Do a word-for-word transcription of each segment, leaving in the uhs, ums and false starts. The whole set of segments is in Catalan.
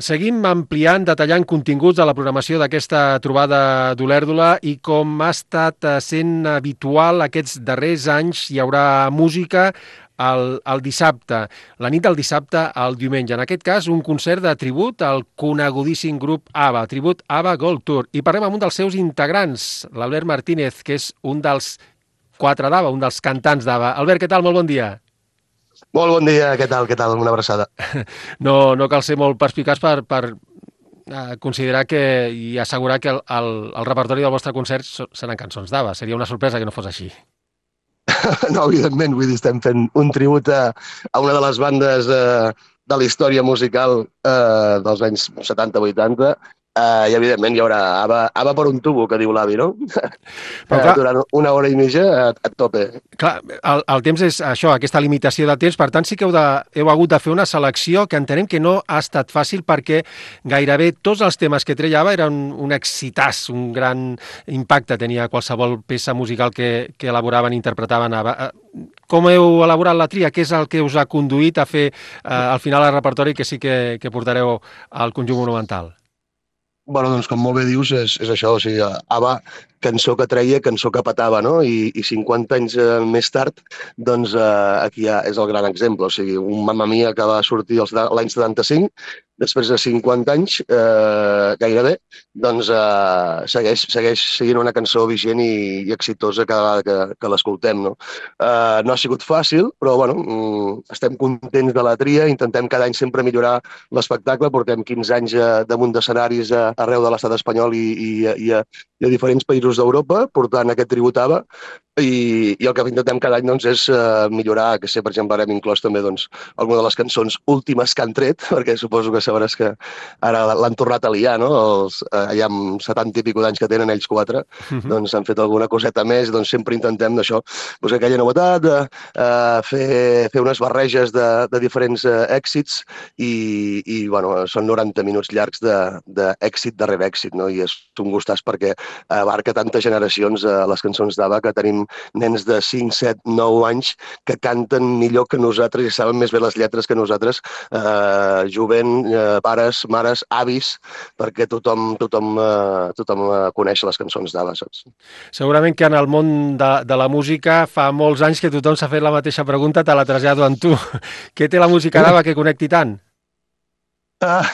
Seguim ampliant, detallant continguts de la programació d'aquesta trobada d'Olèrdola i com ha estat eh, sent habitual aquests darrers anys, hi haurà música el, el dissabte, la nit del dissabte al diumenge. En aquest cas, un concert de tribut al conegudíssim grup ABBA, tribut ABBA Gold Tour. I parlem amb un dels seus integrants, l'Albert Martínez, que és un dels quatre d'ABBA, un dels cantants d'ABBA. Albert, què tal? Molt bon dia. Molt bon dia, què tal, què tal? Una abraçada. No, no cal ser molt perspicaç per, per eh, considerar que i assegurar que el, el, el repertori del vostre concert so- seran cançons d'ABBA. Seria una sorpresa que no fos així. No, evidentment, vull dir, estem fent un tribut a, a una de les bandes eh, de la història musical eh, dels anys setanta vuitanta eh, i, evidentment, hi haurà ABBA, ABBA per un tubo, que diu l'avi, no? Però Eh, clar, durant una hora i mitja a, a tope. clar el, el temps és això, aquesta limitació de temps, per tant sí que heu, de, heu hagut de fer una selecció que entenem que no ha estat fàcil perquè gairebé tots els temes que treia ABBA eren un, un excitàs, un gran impacte tenia qualsevol peça musical que, que elaboraven i interpretaven ABBA. Eh, Com heu elaborat la tria? Què és el que us ha conduït a fer eh, al final el repertori que sí que, que portareu al conjunt monumental? Bueno, doncs, com molt bé dius, és, és això, o sigui, ABBA, cançó que treia, cançó que petava, no? I, i cinquanta anys eh, més tard, doncs eh, aquí ja és el gran exemple, o sigui, un Mamma Mia que va sortir els- l'any setanta-cinc, després de cinquanta anys, eh, gairebé, doncs eh, segueix, segueix sent una cançó vigent i, i exitosa cada vegada que, que l'escoltem, no? Eh, no ha sigut fàcil, però, bueno, mm, estem contents de la tria, intentem cada any sempre millorar l'espectacle, portem quinze anys eh, damunt d'escenaris eh, arreu de l'estat espanyol i, i, i, a, i a diferents països d'Europa, portant aquest tribut ABBA, i, i el que intentem cada any doncs, és uh, millorar, que sé, per exemple, ara hem inclòs també doncs, alguna de les cançons últimes que han tret, perquè suposo que sabràs que ara l'han tornat a liar, no? Els, uh, ja amb setanta i pico d'anys que tenen ells quatre, Mhm. doncs han fet alguna coseta més, doncs sempre intentem d'això, buscar aquella novetat, de, uh, fer, fer unes barreges de, de diferents uh, èxits i, i bueno, són noranta minuts llargs d'èxit darrere èxit, no? I és un gustàs perquè abarca tantes generacions uh, les cançons d'ABBA que tenim nens de cinc, set, nou anys que canten millor que nosaltres i saben més bé les lletres que nosaltres, eh, jovent, eh, pares, mares, avis, perquè tothom, tothom, eh, tothom eh, coneix les cançons d'ABBA, saps? Segurament que en el món de, de la música fa molts anys que tothom s'ha fet la mateixa pregunta, te la trasllado amb tu. Què té la música d'ABBA que connecti tant? Ah,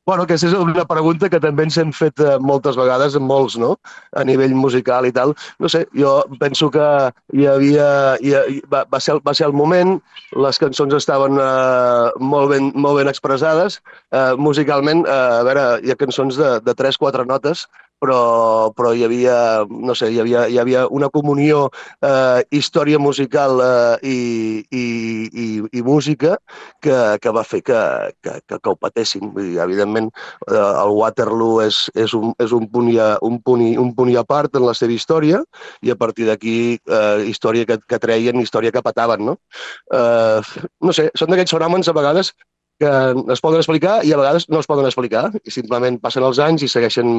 bueno, aquesta és una pregunta que també ens hem fet eh, moltes vegades, molts, no? A nivell musical i tal. No sé, jo penso que hi havia... Hi, hi, va, va, ser, el- va ser el moment, les cançons estaven eh, molt, ben, molt ben expressades. Eh, musicalment, eh, a veure, hi ha cançons de, de tres quatre notes, però, però hi havia, no sé, hi havia, hi havia una comunió, eh, història musical eh, i, i, i, i música que, que va fer que, que, que, que ho patéssim. Vull dir, evidentment, eh, el Waterloo és, és, un, és un, punt i a, un, punt i, un punt i a part en la seva història i a partir d'aquí eh, història que, que treien, història que petaven, no? Eh, no sé, són d'aquests fenòmens a vegades que es poden explicar i a vegades no es poden explicar i simplement passen els anys i segueixen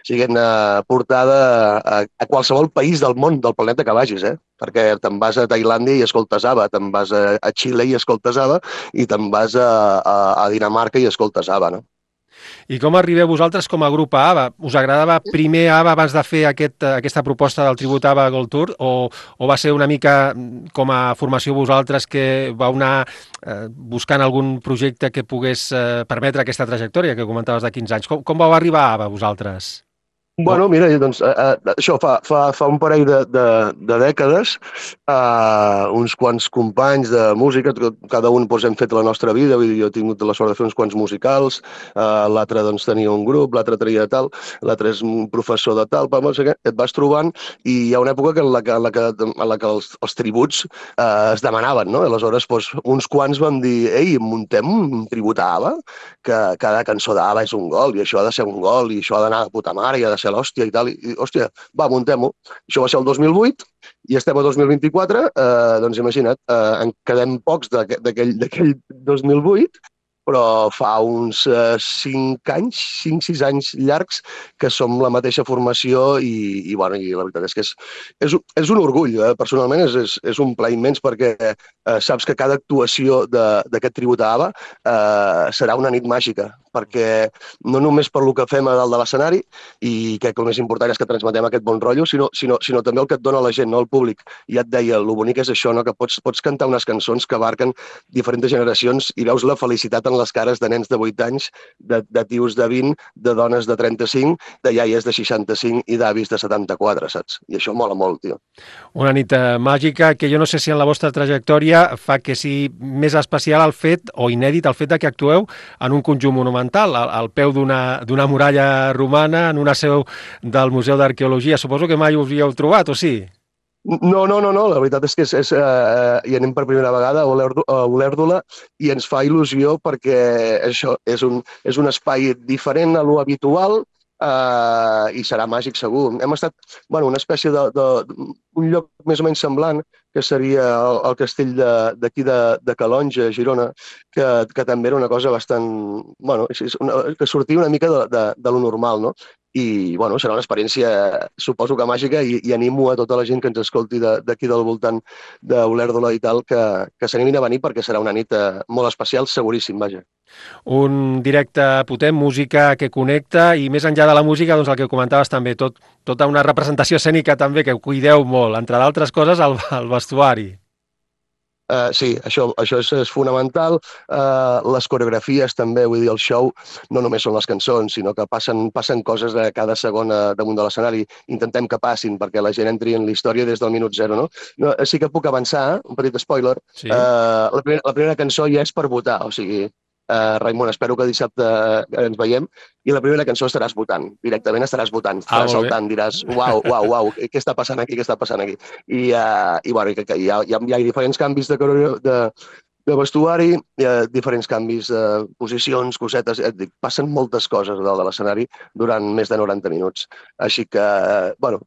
siguent eh, portada a, a qualsevol país del món, del planeta que vagis, eh? Perquè te'n vas a Tailàndia i escoltes ABBA, te'n vas a, a Xile i escoltes ABBA i te'n vas a, a, a Dinamarca i escoltes ABBA, no? I com arribeu vosaltres com a grup a ABBA? Us agradava primer ABBA abans de fer aquest, eh, aquesta proposta del tribut ABBA Gold Tour o, o va ser una mica mm, com a formació vosaltres que vau anar eh, buscant algun projecte que pogués eh, permetre aquesta trajectòria que comentaves de quinze anys? Com, com vau arribar a ABBA vosaltres? Com... Bueno, mira, doncs, eh, eh, això fa, fa, fa un parell de, de, de dècades, eh, uns quants companys de música, cada un doncs, hem fet la nostra vida, vull dir, jo he tingut la sort de fer uns quants musicals, eh, l'altre doncs, tenia un grup, l'altre tenia tal, l'altre és un professor de tal, però, no sé què, et vas trobant i hi ha una època que en la que, en la que, en la que els, els tributs eh, es demanaven, no? Aleshores, doncs, uns quants vam dir, ei, muntem un tribut a ABBA, que cada cançó d'ABBA és un gol, i això ha de ser un gol, i això ha d'anar de puta mare, i ha de ser l'hòstia i tal, i, i hòstia, va, muntem-ho. Això va ser el dos mil vuit, i estem a dos mil vint-i-quatre, eh, doncs imagina't, eh, en quedem pocs d'aquell d'aquell dos mil vuit, però fa uns eh, cinc anys, cinc sis anys llargs que som la mateixa formació i, i, bueno, i la veritat és que és, és, és un orgull, eh? Personalment és, és, és un plaer immens perquè eh, saps que cada actuació d'aquest tribut a ABBA eh, serà una nit màgica perquè no només per lo que fem a dalt de l'escenari, i crec que el més important és que transmetem aquest bon rotllo, sinó, sinó, sinó també el que et dona la gent, no? El públic. Ja et deia, el bonic és això, no? Que pots, pots cantar unes cançons que abarquen diferents generacions i veus la felicitat en les cares de nens de vuit anys, de, de tios de vint, de dones de trenta-cinc, de iaies de seixanta-cinc i d'avis de setanta-quatre, saps? I això mola molt, tio. Una nit eh, màgica que jo no sé si en la vostra trajectòria fa que sigui més especial el fet, o inèdit el fet de que actueu en un conjunt monumental, al, al peu d'una d'una muralla romana, en una seu del Museu d'Arqueologia. Suposo que mai us hi heu trobat, o sí? No, no, no, no, la veritat és que és, és, uh, hi anem per primera vegada a Olèrdola i ens fa il·lusió perquè això és un, és un espai diferent a lo habitual, Uh, i serà màgic segur. Hem estat, bueno, una espècie de, de un lloc més o menys semblant, que seria el, el castell d'aquí de, de, de Calonge, a Girona, que, que també era una cosa bastant, bueno, és una, que sortia una mica de, de, de lo normal, no? I, bueno, serà una experiència, suposo que màgica, i, i animo a tota la gent que ens escolti d'aquí de, del voltant d'Olèrdola i tal, que, que s'animin a venir perquè serà una nit uh, molt especial, seguríssim, vaja. Un directe potent, música que connecta, i més enllà de la música, doncs el que comentaves també, tot, tota una representació escènica també que cuideu molt, entre d'altres coses el, el vestuari. Uh, sí, això, això és, és fonamental. Uh, les coreografies també, vull dir, el show no només són les cançons, sinó que passen, passen coses a cada segon damunt de l'escenari. Intentem que passin perquè la gent entri en la història des del minut zero, no? no sí que puc avançar, un petit spoiler. Sí. Uh, la, primera, la primera cançó ja és per votar, o sigui, Uh, Raimon, espero que dissabte ens veiem i la primera cançó estaràs votant, directament estaràs votant, estaràs ah, saltant, diràs uau, uau, uau, què està passant aquí, què està passant aquí? I, uh, i bueno, que, que hi, ha, hi, ha, hi ha diferents canvis de, de, de vestuari, hi ha diferents canvis de posicions, cosetes, et dic, passen moltes coses a dalt de l'escenari durant més de noranta minuts. Així que, uh, bueno,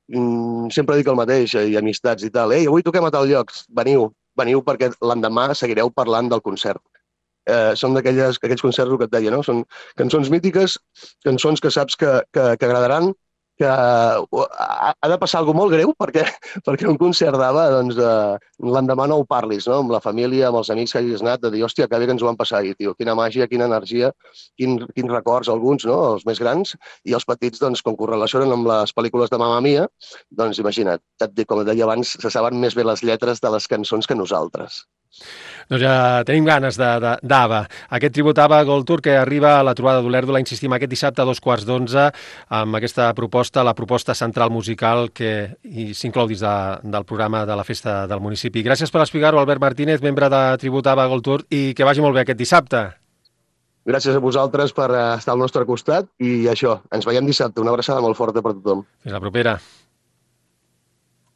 sempre dic el mateix, i amistats i tal, ei, avui toquem a tal lloc, veniu, veniu perquè l'endemà seguireu parlant del concert. Eh, són d'aquells concerts, el que et deia, no? Són cançons mítiques, cançons que saps que, que, que agradaran, que ha, ha de passar alguna molt greu perquè, perquè un concert d'Ava, doncs, eh, l'endemà no ho parlis, no? Amb la família, amb els amics que hagis anat, de dir, hòstia, que bé que ens ho vam passar ahir, tio, quina màgia, quina energia, quin, quins records, alguns, no? Els més grans, i els petits, doncs, com que ho relacionen amb les pel·lícules de Mamma Mia, doncs, imagina't, et dic, com et deia abans, se saben més bé les lletres de les cançons que nosaltres. Doncs ja tenim ganes d'Ava. Aquest tribut Ava Gold Tour que arriba a la trobada d'Olèrdola, insistim, aquest dissabte a dos quarts d'onze, amb aquesta proposta, la proposta central musical que s'inclou dins de, del programa de la festa del municipi. Gràcies per explicar-ho, Albert Martínez, membre de tribut Ava Gold Tour, i que vagi molt bé aquest dissabte. Gràcies a vosaltres per estar al nostre costat i això, ens veiem dissabte. Una abraçada molt forta per tothom. Fins la propera.